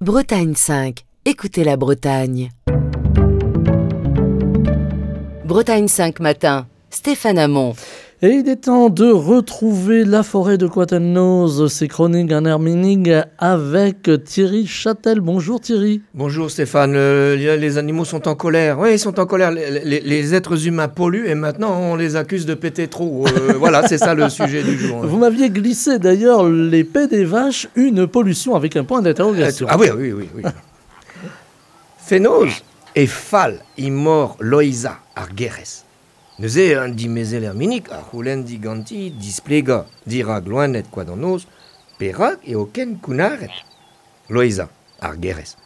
Bretagne 5, écoutez la Bretagne. Bretagne 5 matin, Stéphane Hamon. Et il est temps de retrouver la forêt de Quatennoz, ses chroniques en Herminig avec Thierry Châtel. Bonjour Thierry. Bonjour Stéphane, les animaux sont en colère. Oui, ils sont en colère. Les êtres humains polluent et maintenant on les accuse de péter trop. Voilà, c'est ça le sujet du jour. Vous m'aviez glissé d'ailleurs les pets des vaches, une pollution avec un point d'interrogation. Ah oui, oui, oui. oui. Fenoz e fall imor Loeiza ar Gerez. Neuze an dimezell Erminig a c'houlenn diganti displegañ dirak loened Koad an Noz perak eo ken kounnaret. Loeiza ar Gerez.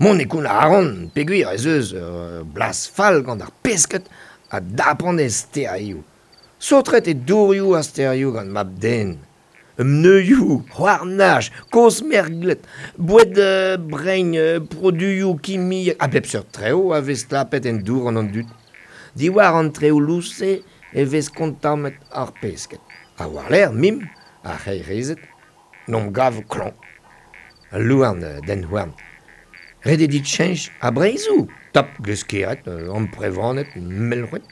Mont e kounnar a ran peogwir ez eus ur blaz fall gant ar pesked a dapan e stêrioù. Saotret eo dourioù ar stêrioù gant mab-den. Pneuioù, houarnaj, kozh merglet, boued brein, produioù kimiek, a bep seurt traoù a vez stlapet en dour gant an dud. Diwar an traoù lous-se e vez kontammet ar pesked. Ha war-lerc'h mimp, ar c'heirezed, n'omp gav klañv. Al louarn dent houarn. Ret eo dit cheñch a breizhoù, tap gleskered, amprevaned, melc'hwed.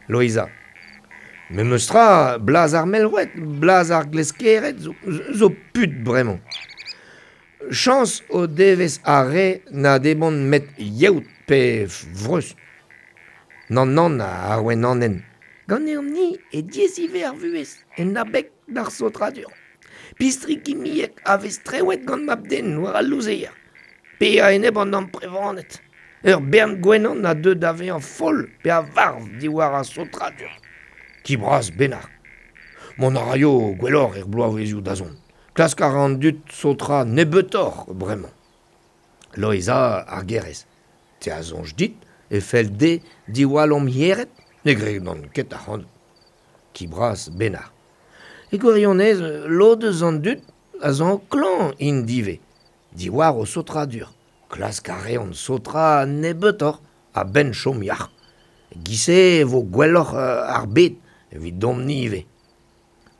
Loeiza. Memes tra, blaz ar melc'hwed, blaz ar gleskered zo put bremañ. Chañs o devez ar re na debont 'met yeot pe vreuz. Nann, nann, ar wenanenn. Ganeomp-ni e diaes ivez ar vuhez, en abeg d'ar saotradur. Pistri kimiek a vez strewet gant mab-den war al louzeier, pe a-enep an amprevaned. Ur bern gwenan a deu da vezañ foll pe a varv diwar ar saotradur. Ki bras bennak. Mont a raio gwelloc'h er bloavezhioù da zont. Klask a ra an dud saotrañ nebeutoc'h bremañ. Loeiza ar Gerez. Te a soñj dit e fell dezhe diwall hom yered? Ne gredan ket ac'hanout. Ki bras bennak. E gwirionez, lod eus an dud a zo klañv int ivez, diwar o saotradur. Klask a reont saotrañ nebeutoc'h a-benn chom yac'h. E-giz-se e vo gwelloc'h ar bed evidomp-ni ivez.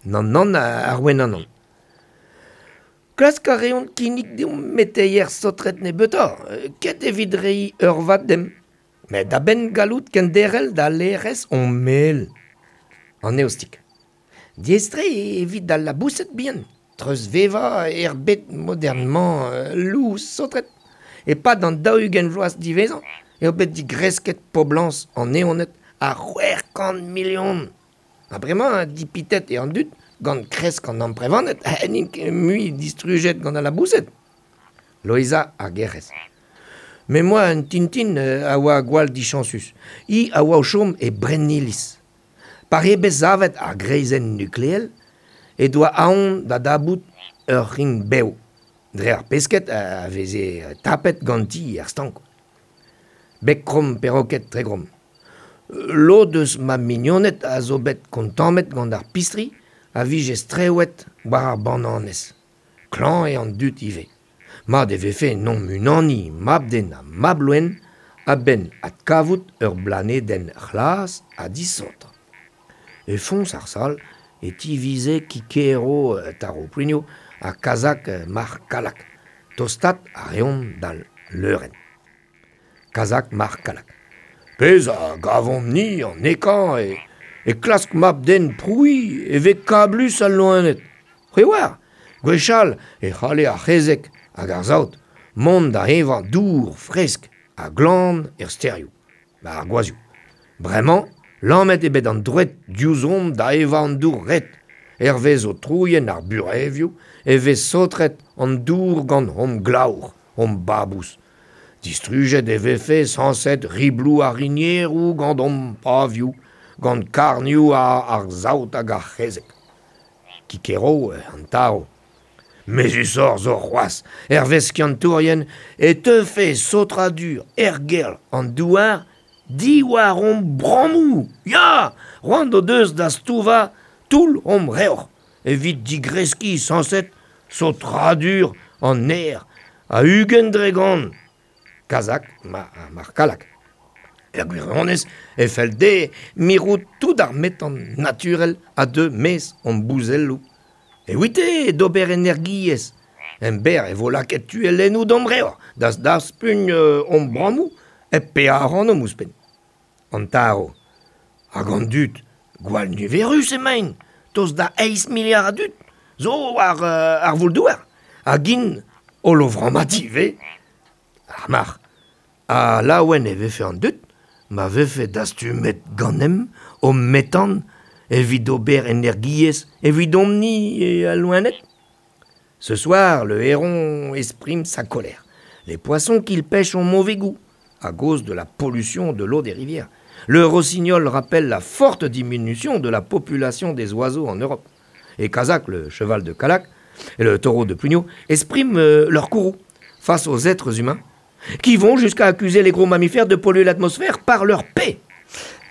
Nann, nann, ar wenanon. Klask a reont kinnig deomp meteier saotret nebeutoc'h, ket evit reiñ eurvad demp, met a-benn gallout kenderc'hel da laerezh hon mel. An eostig. Diaes-tre evit al laboused bihan treuzvevañ er bed modern-mañ lous saotret. E-pad an 40 vloaz diwezhañ eo bet digresket poblañs an eoned a 600 milion. Ha bremañ dipitet eo an dud gant kresk an amprevaned n'int ket mui distrujet gant al laboused. Loeiza ar Gerez. Me 'm boa un tintin a oa gwall dichañsus. Hi a oa o chom e Brenniliz. Pa eo bet savet ar greizenn nukleel he doa aon da dapout ur c'hrign-bev dre ar pesked a veze tapet ganti er stank. Beg kromm peroked Tregrom. Lod eus ma mignoned a zo bet kontammet gant ar pistri a vije strewet war ar bananez. Klañv eo an dud ivez. Mat e vefe n'omp unaniñ mab-den ha mab-loen a-benn adkavout ur blanedenn c'hlas ha disaotr. E foñs ar sal e tivize Kikero Taro Plinio ha Kazak Marc'h Kallag. Tostaat a reont d'al leurenn. Kazak Marc'h Kallag. Pezh a gavomp-ni an ekañ e klask mab-den prouiñ e vez kablus al loened. C'hwi 'oar, gwechall e c'halle ar c'hezeg hag ar saout mont da evañ dour fresk ha glan er stêrioù, war ar gwazhioù. Bremañ, lamet eo bet an droed diouzhomp da evañ an dour red. Hervez aotrouien ar burevioù e vez saotret an dour gant hom glaour, hom babous. Distrujet e vefe sañset ribloù ar rinieroù gant hom pavioù, gant karnioù ar saout hag ar c'hezeg. Kikero an tarv. Mezhusoc'h zo c'hoazh, hervez skiantourien e teufe saotradur ergelc'h an douar diwar hom brammoù. Ya, c'hoant o deus da stouvañ toull hom revr evit digreskiñ sañset saotradur an aer a 20%. Kazak mar Kallag. Er gwirionez e fell dezhe mirout tout ar metan naturel a deu maez hon bouzelloù. Evite d'ober energiezh. En ber e vo laket tuellennoù d'am reor, da daspugn hon brammoù e pe ar an ouzhpenn. An taro. Hag an dud, gwall niverus emaint, tost da 8 miliard a dud, zo war ar voul-douar, hag int holl o vrammat ivez. Ar marc'h. Ha laouen e vefe an dud, ma vefe dastumet ganemp o metan evit ober energiezh evidomp-ni e al loened. Ce soir, le héron exprime sa colère. Les poissons qu'il pêche ont mauvais goût, à cause de la pollution de l'eau des rivières. Le rossignol rappelle la forte diminution de la population des oiseaux en Europe. Et Kazakh, le cheval de Callac, et le taureau de Pugno expriment leur courroux face aux êtres humains qui vont jusqu'à accuser les gros mammifères de polluer l'atmosphère par leur paix.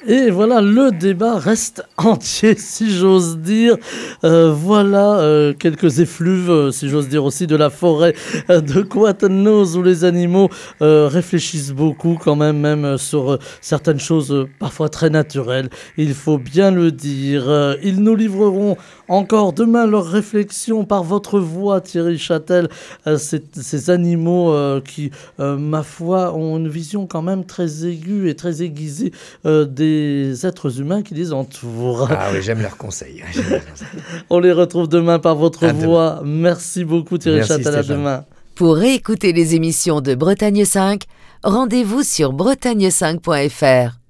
Et voilà, le débat reste entier, si j'ose dire. Voilà quelques effluves, si j'ose dire aussi, de la forêt de Koad an Noz, où les animaux réfléchissent beaucoup quand même, même sur certaines choses parfois très naturelles. Il faut bien le dire. Ils nous livreront encore demain leurs réflexions par votre voix, Thierry Châtel. Ces animaux qui, ma foi, ont une vision quand même très aiguë et très aiguisée des êtres humains qui les entourent. Ah oui, j'aime leurs conseils. J'aime leurs conseils. On les retrouve demain par votre À demain. voix. Merci beaucoup Thierry Merci, Châtel, à Stéphane. demain. Pour réécouter les émissions de Bretagne 5, rendez-vous sur bretagne5.fr.